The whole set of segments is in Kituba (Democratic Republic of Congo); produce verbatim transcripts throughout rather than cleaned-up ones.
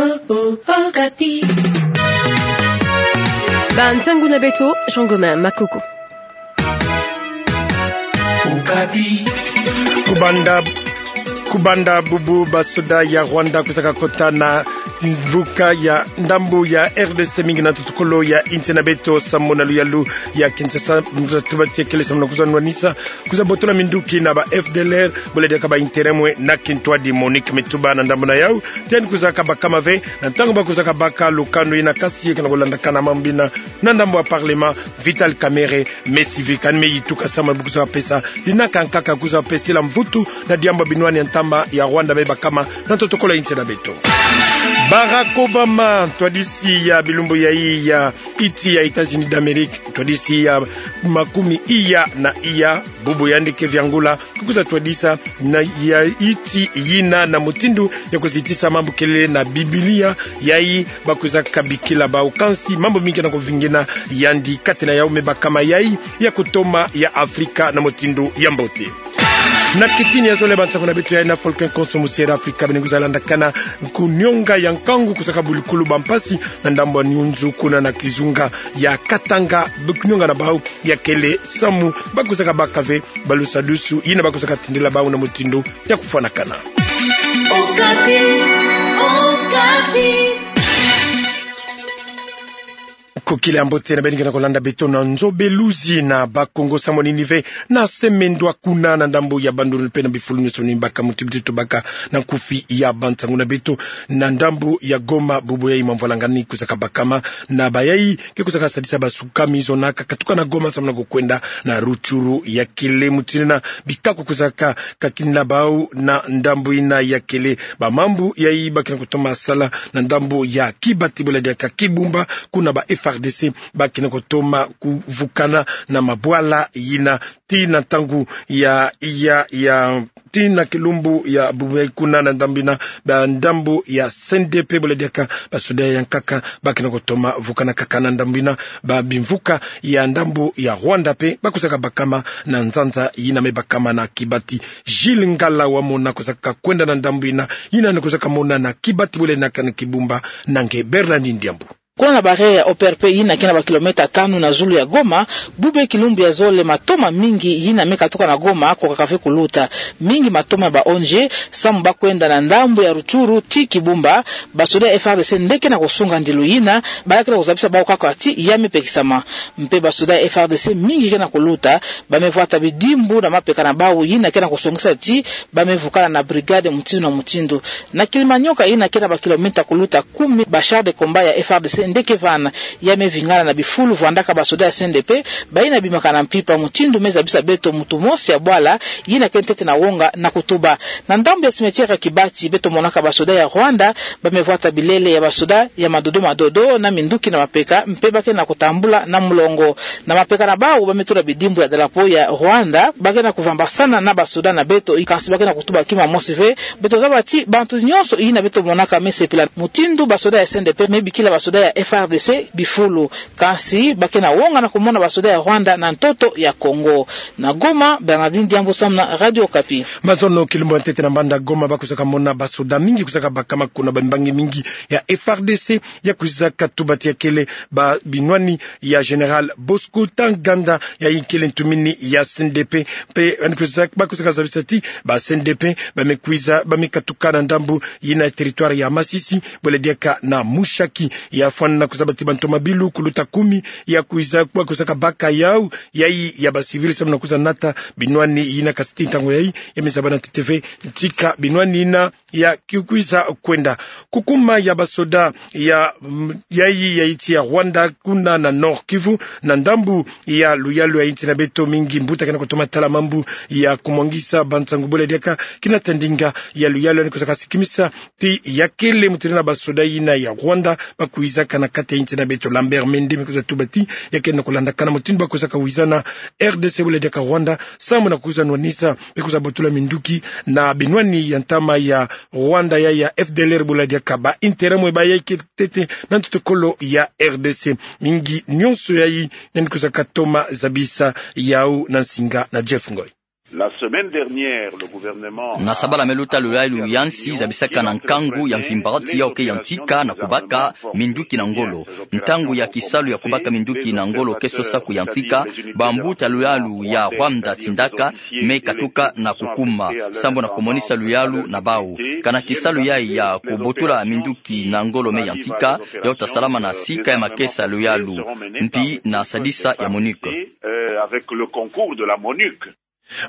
Okapi. Bansangu na beto, Jean Gomin Makoko. Okapi. Kubanda, kubanda bubu basoda ya Rwanda kwizaka kota na mvuka ya ndambu ya R D C mingi na ntoto kolo ya insi na beto samu na luyalu ya Kinshasa, mza tuba tie kele samu na kwiza nwanisa, kwiza botola minduki na ba F D L R, bole diaka ba interemwe na kintwadi Monique Mituba na ndambu na yau, tien kwizaka bakama ve, na ntangu ba kwizaka baka lukanu ina kasi ye kena kolandakana mambu ina, na ndambu ya parlement, Vital Kamerhe, me sivi kani me yituka samu bu kwizaka pesa, dinaka nkaka kwizaka pesila mvutu, na diambu binwani ya ntama ya Rwanda me bakama, na ntoto kolo ya insi na beto. Barack Obama, ntwadisi ya bilumbu yayi ya iti ya États-Unis d'Amérique, ntwadisi ya makumi iya na iya, bubu yandi ke viangula, kukwiza twadisa na ya iti yina na mutindu ya kuzitisa mambu kele na Biblia, yayi ba kwizaka bikila bau kansi, mambu mingi kena kuvingina yandi kati na yau me bakama yayi ya kutoma ya Afrika na mutindu ya mbote. Na kitini ya zole bansangu na beto yayi na Volcan Konso mu Sierra Afrika, bene kwiza landakana kunionga ya nkangu kwizaka bulukulu bampasi na ndambu ya Nyunzu kuna na kizunga ya Katanga, kunionga na bau ya kele samu ba kwizaka baka ve balusadusu yina ba kwizaka tindila bau na mutindu ya kufwanakana. Okapi, Okapi. Kokila ya mbote na beno kena kolanda beto na nzo beluzi na Bakongo samu nini ve na semendwa kuna na ndambu ya Bandundu pe na bifulu nyonso ni baka muti muti tubaka na nkufi ya bansangu na beto na ndambu ya Goma, bubu yayi mamvwalangani kwizaka bakama na bayayi ke kwizaka sadisa basukami zonaka katuka na Goma samu na kukwenda na Rutshuru ya kele mutindu na bikako kwizaka kakina bau na ndambu ina ya kele. Bamambu yayi ba kena kutoma sala na ndambu ya Kibati bole diaka Kibumba, kuna ba F R D C ba kena kutoma kuvukana na mabwala yina ti na ntangu ya, ya, ya, ti na kilumbu ya bubu yayi kuna na ndambu ina, ba ndambu ya C N D P bole diaka basoda ya nkaka ba kena kutoma vukana kaka na ndambu ina, ba bimvuka ya ndambu ya Rwanda pe ba kwizaka bakama na nzanza yina me bakama na Kibati. Jules Ngala Wamona kwizaka kwenda na ndambu ina, yina ni kwizaka mona na Kibati bole na kani Kibumba, na nge Bernardine Diambu. Kuna na barrière ya O P R P yina ke na ba kilomètre tanu na zulu ya Goma, bubu kilumbu ya zole matoma mingi yina me katuka na Goma kokaka ve kuluta. Mingi matoma ya ba O N G samu ba kwenda na ndambu ya Rutshuru ti Kibumba, basoda ya F R D C nde ke na kusunga ndilu yina, ba ya ke na kuzabisa bau kaka ti ya me pekisama. Mpe basoda ya F R D C mingi ke na kuluta, ba me vwata bidimbu na mapeka na bau yina ke na kusongisa ti ba me vukana na brigade mutindu na mutindu. Na Kilimanyoka yina ke na ba kilomètre kuluta kumi, ba chars de combat ya F R D C nde ke vana, ya me vingana na bifulu vwandaka basoda ya C N D P, bayina bimaka na mpimpa mutindu me zabisa beto mutu mosi ya bwala yina ke ntete na wonga na kutuba. Na ndambu ya cimetière ya Kibati beto monaka basoda ya Rwanda ba me vwata bilele ya basoda ya madodo madodo na minduki na mapeka, mpe ba ke na kutambula na mulongo. Na mapeka na bau ba me tula bidimbu ya drapeau ya Rwanda, ba ke na kuvambasana na basoda na beto, kansi ba ke na kutuba kima mosi ve. Beto zaba ti bantu nyonso yina beto monaka me sepila mutindu basoda ya C N D P me bikila basoda ya F R D C bifulu, kansi ba ke na wonga na kumona basoda ya Rwanda na ntoto ya Congo. Na Goma, Bernardine Diambu samu na Radio Okapi. Mazono, kilumbu ya ntete na mbanda Goma ba kwizaka mona basoda mingi kwizaka bakama kuna, bambangi mingi ya F R D C ya kwizaka tuba ti ya kele ba binwani ya Général Bosco Ntaganda, yayi kele ntumini ya C N D P. Mpe yandi kwizaka, ba kwizaka zabisa ti ba C N D P ba me kwiza, ba me katuka na ndambu yina ya territoire ya Masisi, bole diaka na Mushaki. Ya fwana na kuzaba ti bantu mabilu kuluta kumi ya kwiza, ba kwizaka baka yau, yayi ya ba civil samu na kwiza nata binwani yina, kasi ti ntangu yayi ya me zaba na ntete ve ntika binwani yina ya ke kwiza kwenda. Kukuma ya basoda ya, mm, yayi ya nsi ya Rwanda kuna na Nord-Kivu, na ndambu ya luyalu ya nsi na beto, mingi mbuta ke na kutoma tala mambu ya kumwangisa bansangu, bole diaka kina ta ndinga ya luyalu, yandi kwizaka sikimisa ti ya kele mutindu na basoda yina ya Rwanda ba kwizaka na kati ya nsi na beto. Lambert Mende me kwiza tuba ti ya kele na kulandakana mutindu ba kwizaka wizana R D C, bole diaka Rwanda, samu na kwiza nwanisa, mpe kwiza botula minduki na binwani ya ntama ya Rwanda, ya, ya F D L R, bole diaka ba interemwe ba yayi ke ntete na ntoto kolo ya R D C. Mingi nyonso yayi yandi kwizaka toma zabisa yau na nsinga na Jeff Ngoy. La semaine dernière, le gouvernement... Na sabala me luta, luyalu ya nsi zabisaka na nkangu ya mvimba ti yau ke yantika na kubaka minduki na ngolo. Ntangu ya kisalu ya kubaka minduki na ngolo ke sosa kuyantika, bambuta luyalu ya Rwanda tindaka me katuka na kukuma, sambu na kumonisa luyalu na bau. Kana kisalu yayi ya kubotula minduki na ngolo me yantika, yau ta salama na sika ya makesa luyalu, mpi na sadisa ya MONUC. Euh, avec le concours de la MONUC.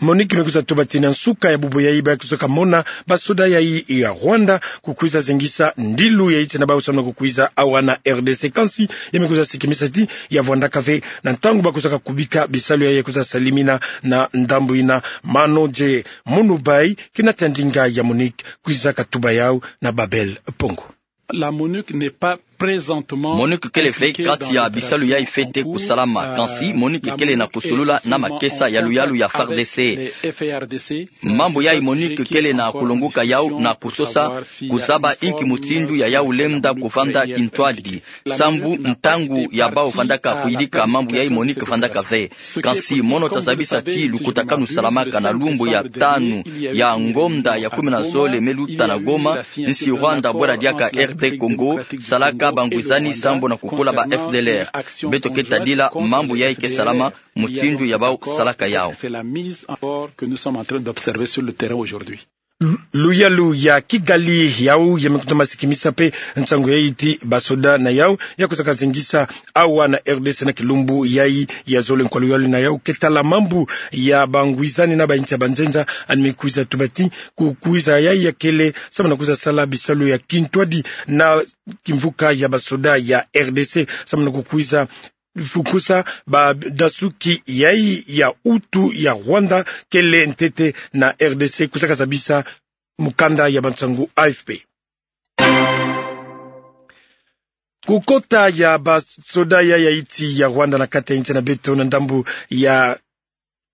MONUC me kwiza tuba ti na nsuka ya bubu yayi ba kwiza kamona basoda yayi ya Rwanda kukwiza zengisa ndilu ya nsi na bau samu na kukwiza awa na R D C. Kansi ya me kwiza sikimisa ti ya vwandaka ve na ntangu ba kwiza kakubika bisalu yayi ya kwiza salimina na ndambu yina. Mano J Munubai, kina tandinga ya MONUC, kwiza katuba yau na Babel Pongo. La MONUC n'est pas présentement... MONUC kele ve kati ya bisalu yayi fete kusalama. Kansi MONUC kele na kusolula na makesa ya luyalu ya FARDC. Mambu yayi MONUC kele na kulonguka yau na kusosa kuzaba inki mutindu ya yau lenda kuvanda kintwadi, sambu ntangu ya bau vandaka kuyidika mambu yayi MONUC vandaka ve. Kansi mono ta zabisa ti lukutakanu salamaka na lumbu ya tanu ya ngonda ya kumi na zole me luta na Goma, nsi Rwanda bwela diaka R D Congo, salaka bangwizani sambu na kukula ba F D L R. Beto ke tadila mambu yayi ke salama, mutindu ya bau salaka yau. C'est la mise en ordre que nous sommes en train d'observer sur le terrain aujourd'hui. Luyalu ya Kigali yau ya me kutoma sikimisa mpe nsangu yayi ti basoda na yau ya kwiza kazengisa awa na R D C na kilumbu yayi ya zole. Nkwa luyalu na yau ke tala mambu ya bangwizani na ba nsi ya banzenza, yandi me kwiza tuba ti kukwiza yayi ya kele samu na kwiza sala bisalu ya kintwadi na kimvuka ya basoda ya R D C samu na kukwiza fukusa badasuki yayi ya Hutu ya Rwanda kele ntete na R D C, kwiza kazabisa mukanda ya bansangu A F P. Kukota ya basoda ya, ya nsi ya Rwanda na kati ya nsi na beto na ndambu ya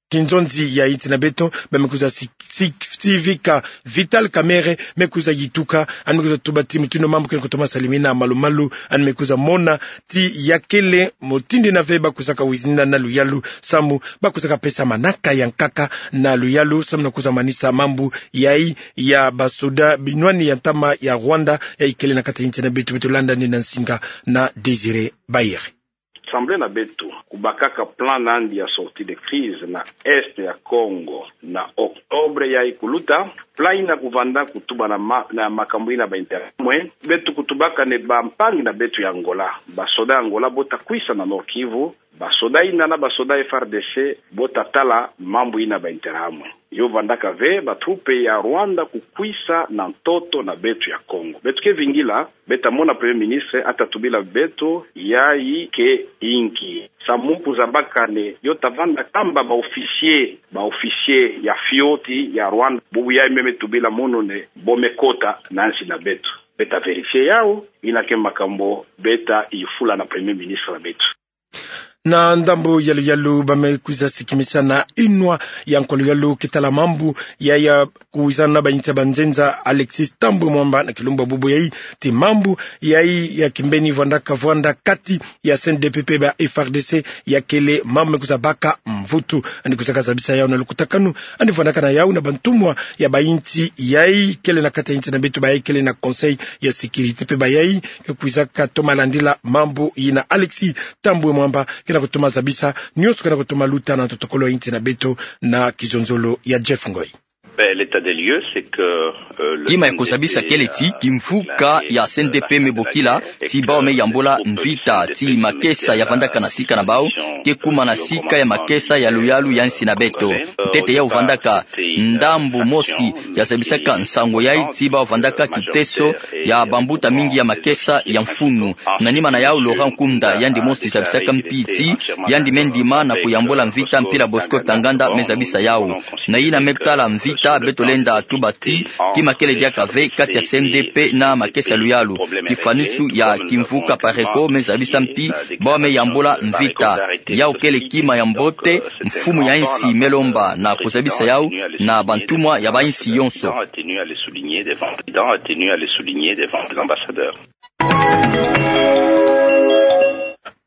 kinzonzi ya nsi na beto, ba me kwiza si-, si-, sivika Vital Kamerhe, me kwiza yituka, yandi me kwiza tuba ti mutindu mambu ke na kutoma salimina malu-malu, yandi me kwiza mona ti ya kele mutindu yina ve ba kwiza kawizina na luyalu, samu ba kwiza kapesa manaka ya nkaka na luyalu, samu na kwiza manisa mambu yayi ya basoda binwani ya ntama ya Rwanda, yayi kele na kati ya nsi na beto. Beto landa yandi na nsinga na Désiré Bayere. Assemblée na beto kubakaka plan na yandi ya sortie de crise na Est ya Congo na octobre yayi kuluta. Plan yina kuvanda kutuba na ma-, na makambu yina ba intérêt ya mwe. Beto kutubaka nde bampangi na beto ya Angola, basoda ya Angola bo ta kwisa na Nord-Kivu, basoda yina na basoda F R D C bo ta tala mambu yina ba intérêt ya mwe. Yo vandaka ve ba troupes ya Rwanda kukwisa na ntoto na beto ya Congo. Beto ke vingila, beto ta mona Premier Ministre, a ta tubila beto yayi ke inki. Samu kuzabaka nde yo ta vanda kamba ba officiers, ba officiers ya fioti ya Rwanda. Bubu yayi me me tubila munu nde bo me kota na nsi na beto. Beto ta vérifier yau, yina ke makambu beto ta yufula na Premier Ministre na beto. Na ndambu ya luyalu, ba me kwiza sikimisa na inwa ya nkwa luyalu ke tala mambu ya, ya kuwizana na ba nsi ya banzenza, Alexis Thambwe Mwamba, na kilumbu ya bubu yayi, ti mambu yayi ya kimbeni vwandaka vwanda kati ya C N D P mpe ba F R D C, ya kele mambu me kwiza baka mvutu. Yandi kwiza kazabisa yau na lukutakanu yandi vwandaka na yau na bantumwa ya ba nsi yayi kele na kati ya nsi na beto, bayayi kele na Conseil ya Sécurité mpe bayayi ke kwiza katoma landila mambu yina. Alexis Thambwe Mwamba ke na kutoma zabisa nyonso ke na kutoma luta na ntotokolo ya nsi na beto na kizonzolo ya Jeff Ngoy. Ben, l'état des lieux, c'est que, euh, le... Kima ya kuzabisa kele ti kimvuka ya C N D P me bokila ti bawu me yambula mvita, ti makesa ya vandaka na sika na bawu ke kuma na sika ya makesa ya luyalu ya nsi na beto. Ntete yawu vandaka ndambu mosi ya zabisaka nsangu yayi ti bawu vandaka kiteso ya bambuta mingi ya makesa ya mfunu. Na nima na yawu, Laurent Nkunda, yandi mosi zabisaka mpi ti yandi me ndima na kuyambula mvita, mpila Bosco Ntaganda me zabisa yawu. Na yina me tala mvita, beto lenda tuba ti kima kele diaka ve kati ya C N D P na makesa ya luyalu. Kifwanisu ya kimvuka Pareko me zabisa mpi bawu me yambula mvita. Yawu kele kima ya mbote mfumu ya nsi me lomba na kuzabisa yawu na bantumwa ya ba nsi yonso. Président a tenu à le souligner devant, président a tenu à le souligner devant les ambassadeurs.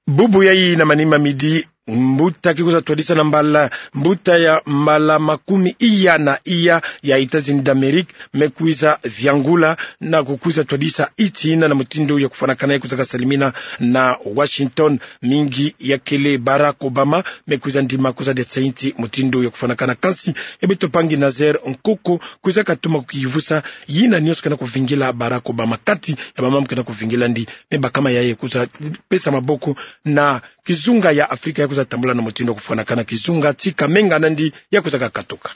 Bubu yayi na manima midi, Mbuta ke kwiza twadisa na mbala, mbuta ya mbala makumi iya na iya ya États-Unis d'Amérique me kwiza viangula na kukwiza twadisa inti ina na mutindu ya kufwanakana, ya kwizaka salimina na Washington. Mingi ya kele Barack Obama, me kwiza ndima kwiza dia tsa inti mutindu ya kufwanakana. Kansi ya beto mpangi Nazaire Nkoko kwizaka toma kukiyivusa yina nyonso kena kuvingila Barack Obama, kati ya bamambu kena kuvingila ndi, me bakama yayi kwiza pesa maboko na kizunga ya Afrika ya kwiza tambula na mutindu ya kufwanakana, kizunga ti kamenga nandi ya kwizaka katuka.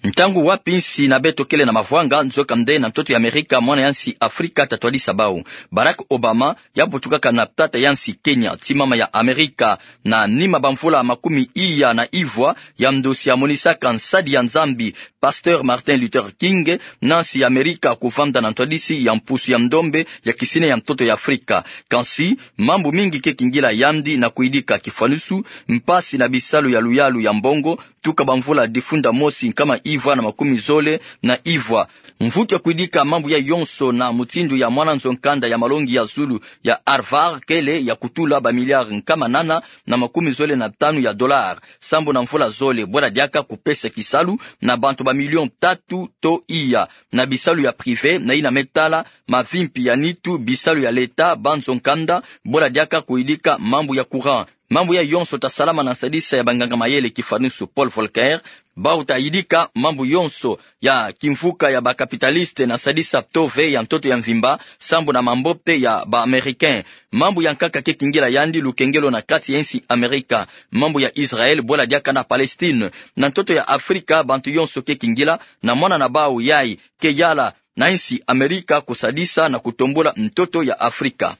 Ntangu wapi nsi na beto kele na mavwanga, nzokande na ntoto ya Amerika, mwana ya nsi Afrika ta twadisa bau. Barack Obama ya butukaka na tata ya nsi Kenya, ti mama ya Amerika, na nima bamvula makumi iya na ivwa, ya ndosi ya monisaka nsadi ya Nzambi, Pasteur Martin Luther King, na nsi ya Amerika kuvanda na ntwadisi ya mpusu ya ndombe ya kisine ya ntoto ya Afrika. Kansi, mambu mingi ke kingila yandi na kuyidika kifwanusu, mpasi na bisalu ya luyalu ya mbongo, tuka bamvula difunda mosi nkama ivwa na makumi zole na ivwa. Mvutu ya kuyidika mambu yayi yonso na mutindu ya mwana nzo-nkanda ya malongi ya zulu ya Harvard kele ya kutula bamiliare nkama nana na makumi zole na tanu ya dolare, sambu na mvula zole, bwela diaka kupesa kisalu na bantu bamilion tatu to iya, na bisalu ya privé, na yina me tala mavimpi ya nitu, bisalu ya leta, banzo-nkanda, bwela diaka kuyidika mambu ya courant. Mambu yayi yonso ta salama na nsadisa ya banganga-mayele kifwanusu Paul Volcker. Bau ta yidika mambu yonso ya kimvuka ya ba capitaliste na nsadisa ptove ya ntoto ya mvimba, sambu na mambote ya ba Américain. Mambu ya nkaka ke kingila yandi lukengelo na kati ya nsi Amerika. Mambu ya Israël, bwela diaka na Palestine. Na ntoto ya Afrika, bantu yonso ke kingila, na mwana na bau yayi ke yala na nsi Amerika kusadisa na kutombula ntoto ya Afrika.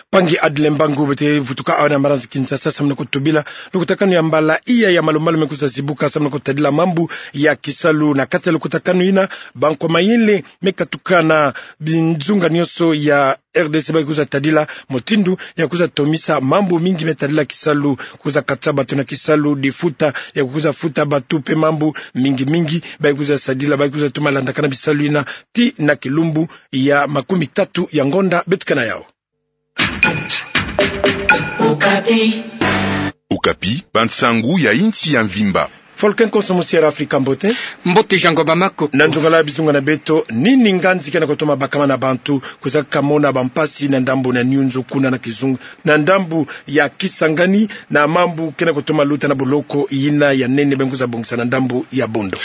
Mpangi Adle Mbangu, beto vutuka awa na maranzi Kinshasa, samu na kutubila lukutakanu ya mbala iya ya malumalu me kwiza zibuka, samu na kutadila mambu ya kisalu. Na kati ya lukutakanu yina, bankwa mayele me katuka na binzunga nyonso ya R D C bayi kwiza tadila mutindu ya kwiza tomisa mambu mingi me tadila kisalu, kwiza kata batu na kisalu, difuta ya kwiza futa batu, mpe mambu mingi mingi bayi kwiza sadila, bayi kwiza toma landakana bisalu yina ti na kilumbu ya makumi tatu ya ngonda. Beto ke na yau. Okapi, bansangu ya insi ya mvimba. Volker Konso, mosi ya Afrika, mbote. Mbote Jean Ngoma Makoko. Na nzungala bizunga na beto, nini nganzi kena kutoma bakama na bantu kwiza kamona bampasi na ndambu na Nyunzu kuna na Kizunga, na ndambu ya Kisangani, na mambu kena kutoma luta na boloko yina ya nene bayi kwiza bongisa na ndambu ya Bondo?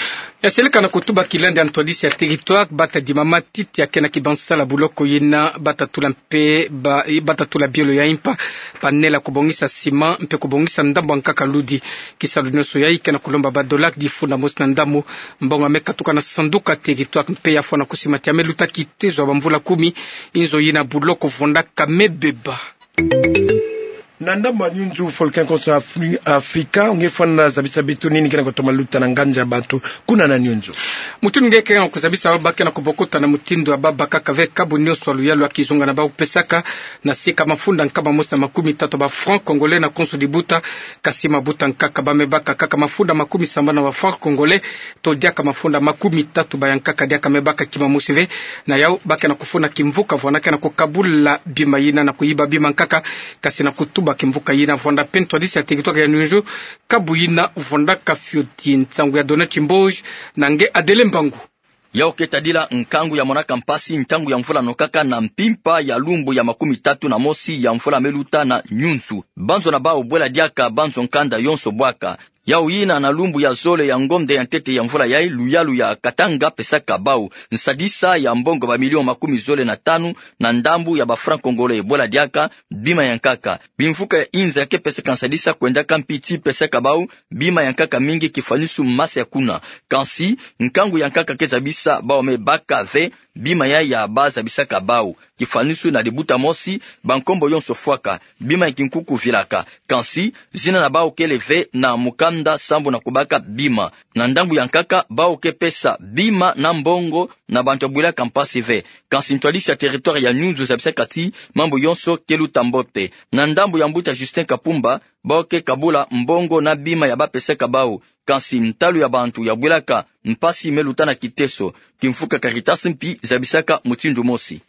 Ya seleka na kutuba kilandi ya ntwadisi ya territoire, bata dimama titi ya kena kibansala boloko yina, bata tula mpe ba, bata tula bielo ya impa, banela kubongisa ciment, mpe kubongisa ndambu ya nkaka ludi. Kisalu nyonso yayi kena kulomba ba dollar difunda mosi na ndambu. Mbongo ya me katuka na sanduka territoire mpe ya fwana kusimati ya me luta kitezo ya bamvula kumi. Inzo yina boloko vwandaka me beba. Na ndambu ya Nyunzu, Volker Konso, Afri-, Afrika, nge fwana zabisa beto nini kena kutoma luta na nganzi ya bantu kuna na Nyunzu. Mutindu nge kena kuzabisa, bau ba kena kubokota na mutindu ya bau bakaka ve kabu nyonso ya luyalu ya kizunga na bau pesaka, na sika mafunda nkama mosi na makumi tatu ba francs congolais na konso dibuta. Kasi mabuta nkaka ba me baka kaka mafunda makumi sambanu ba francs congolais, to diaka mafunda makumi tatu ba ya nkaka diaka me baka kima mosi ve. Na yau ba kena kufuna kimvuka vwandaka na kukabula bima yina na kuyiba bima nkaka, kasi na kutuba kimvuka yina vwanda mpe ntwadisi ya territoire ya Nyunzu, kabu yina vwandaka fioti. Nsangu ya Donat Mboji na nge Adele Mbangu. Yau ke tadila nkangu ya monaka mpasi ntangu ya mvula nokaka na mpimpa ya lumbu ya makumi tatu na mosi ya mvula me luta na Nyunzu. Banzo na bau bwela diaka banzo nkanda yonso bwaka. Yau yina na lumbu ya zole ya ngonda ya ntete ya mvula yayi, luyalu ya Katanga pesaka bau nsadisa ya mbongo ba millions makumi zole na tanu na ndambu ya ba francs congolais, bwela diaka bima ya nkaka. Bimvuka ya inza ke pesaka nsadisa kwendaka mpi ti pesaka bau bima ya nkaka mingi kifwanisu masa ya kuna. Kansi, nkangu ya nkaka ke zabisa bau me baka ve bima ya, ya ba zabisaka bau. Kifwanisu na dibuta mosi, bankombo yonso fwaka, bima ya kinkuku vilaka. Kansi, zina na bau kele ve na mukanda sambu na kubaka bima. Na ndambu ya nkaka, bau ke pesa bima na mbongo na bantu ya bwilaka mpasi ve. Kansi ntwadisi ya territoire ya Nyunzu zabisaka ti mambu yonso ke luta mbote. Na ndambu ya mbuta Justin Kapumba, bau ke kabula mbongo na bima ya ba pesaka bau. Kansi ntalu ya bantu ya bwilaka mpasi me luta na kiteso. Kimvuka Caritas mpi zabisaka mutindu mosi.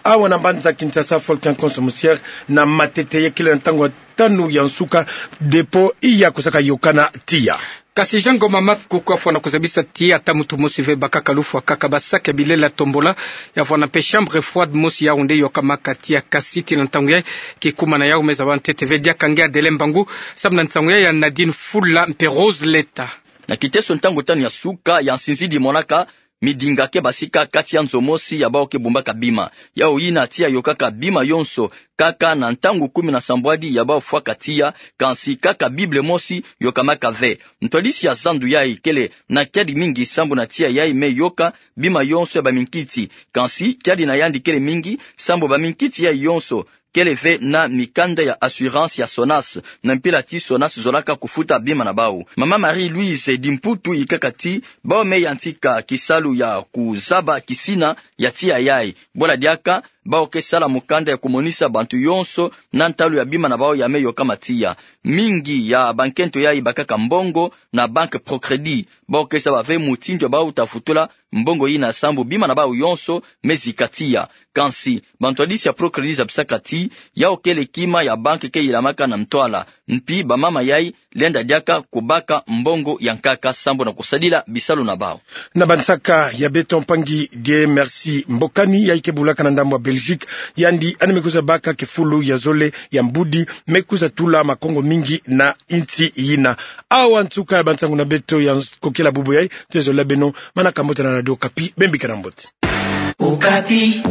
Awa na mbanza Kinshasa, Volcan Conso Musière na matete, ye kele na ntangu ya tanu ya nsuka, dépôt iya kusaka yôkana tiya. Kasi Jean Ngoma Math Kuku afwana kuzabisa ti ata muntu mosi ve bakaka lufwa kaka ba sac ya bilela tombola, ya fwana mpe chambre froide mosi, yau nde yôkamaka tiya. Kasi tii na ntangu yayi, kikumana yau me zaba ntete ve. Diaka nge Adelin Mbangu, samu na nsangu yayi ya Nadine Fula mpe Rose Leta. Na kiteso ntangu tanu ya suka ya nsinzidi monaka midinga ke basika kati ya nzo mosi ya bau ke bumbaka bima. Yau yina tiya yôkaka bima yonso, kaka na ntangu kumi na sambwadi ya bau fwaka tiya, kansi kaka Bible mosi yôkamaka ve. Ntwadisi ya zandu yayi kele na kiadi mingi sambu na tiya yayi me yôka bima yonso ya baminkiti. Kansi kiadi na yandi kele mingi sambu baminkiti yayi yonso kele ve na mikanda ya assurance ya SONAS, na mpila ti SONAS zolaka kufuta bima na bau. Mama Marie-Louise Dimputu yikaka ti bau me yantika kisalu ya kuzaba kisina ya tiya yayi. Bwala diaka, bau ke sala mukanda ya kumonisa bantu yonso na ntalu ya bima na bau ya me yôkama tiya. Mingi ya bankento yayi bakaka mbongo na banque Procrédit. Bau ke zaba ve mutindu ya bau ta futula mbongo yina sambu bima na bau yonso me zika tiya. Kansi bantwadisi ya Procrédit zabisaka ti yau kele kima ya banque ke yilamaka na ntwala. Mpi bamama yayi lenda diaka kubaka mbongo ya nkaka sambu na kusadila bisalu na bau. Na bansaka ya beto, mpangi Dieu Merci Mbokani, yayi ke bulaka na ndambu ya Belgique, yandi yandi me kwiza baka kifulu ya zole ya mbudi me kwiza tula makongo mingi na insi yina. Awa nsuka ya bansangu na beto ya nkokila bubu yayi. Twezola beno, manaka mbote na Radio Okapi, bembika na mbote. Okapi.